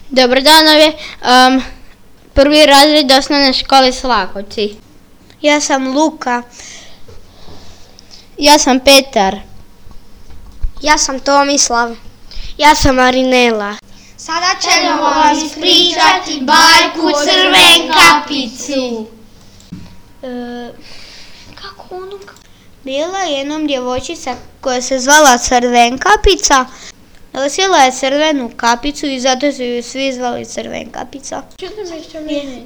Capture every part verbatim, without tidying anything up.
Dobar dan, ovo je um, prvi razred osnovne škole Slakovci. Ja sam Luka. Ja sam Petar. Ja sam Tomislav. Ja sam Marinela. Sada ćemo vam ispričati bajku Crvenkapicu. E, kako ono? Bila je jednom djevojčica koja se zvala Crvenkapica. Nosila je crvenu kapicu i zato su ju svi zvali Crvenkapica.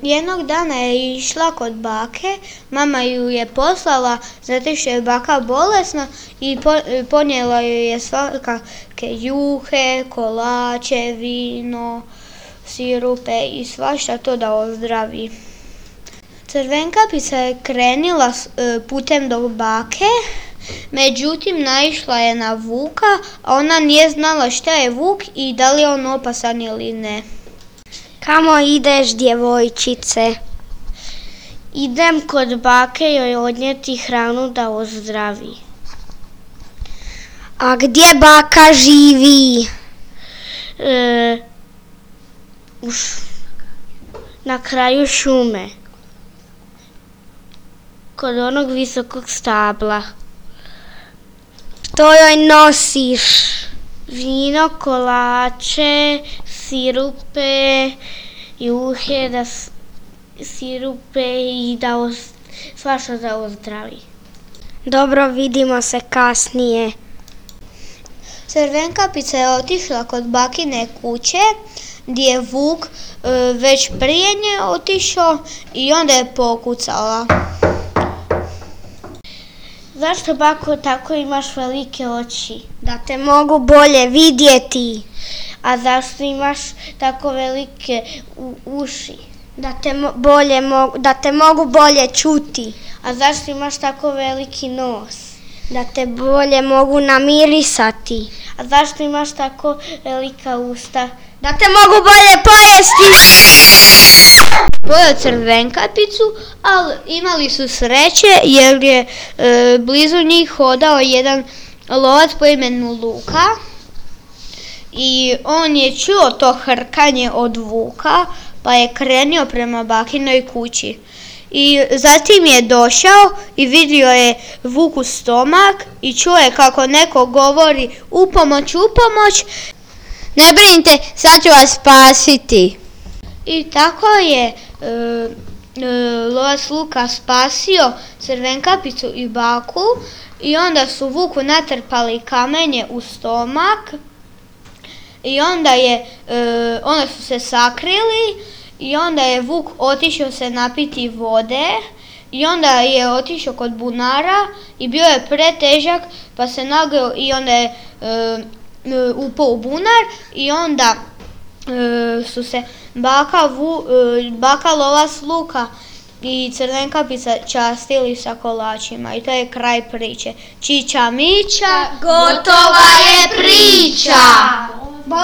Jednog dana je išla kod bake, mama ju je poslala zato što je baka bolesna i ponijela ju je svakakve juhe, kolače, vino, sirupe i svašta to da ozdravi. Crvenkapica je krenila putem do bake, međutim naišla je na vuka, a ona nije znala šta je vuk i da li je on opasan ili ne. Kamo ideš, djevojčice? Idem kod bake joj odnijeti hranu da ozdravi. A gdje baka živi? E, u š... Na kraju šume. Kod onog visokog stabla. Što joj nosiš? Vino, kolače, sirupe, juhe, da s... sirupe i da oz... svašta da ozdravi. Dobro, vidimo se kasnije. Crvenkapica je otišla kod bakine kuće gdje je vuk e, već prije nje otišao i onda je pokucala. Zašto, bako, tako imaš velike oči? Da te mogu bolje vidjeti. A zašto imaš tako velike u, uši? Da te, mo- bolje mo- da te mogu bolje čuti. A zašto imaš tako veliki nos? Da te bolje mogu namirisati. A zašto imaš tako velika usta? Da te mogu bolje pojesti. Pojeo Crvenkapicu, ali imali su sreće jer je e, blizu njih hodao jedan lovac po imenu Luka i on je čuo to hrkanje od vuka pa je krenio prema bakinoj kući. I zatim je došao i vidio je vuku stomak i čuo je kako neko govori u pomoć, u pomoć. Ne brinite, sad ću vas spasiti. I tako je e, e, lovac Luka spasio Crvenkapicu i baku i onda su vuku natrpali kamenje u stomak i onda, je, e, onda su se sakrili i onda je vuk otišao se napiti vode i onda je otišao kod bunara i bio je pretežak pa se nagneo i onda je e, upao u bunar i onda e, su se baka, vu, e, baka lovac Luka i Crvenkapica častili sa kolačima i to je kraj priče. Čiča miča, Gotova je priča. Bog!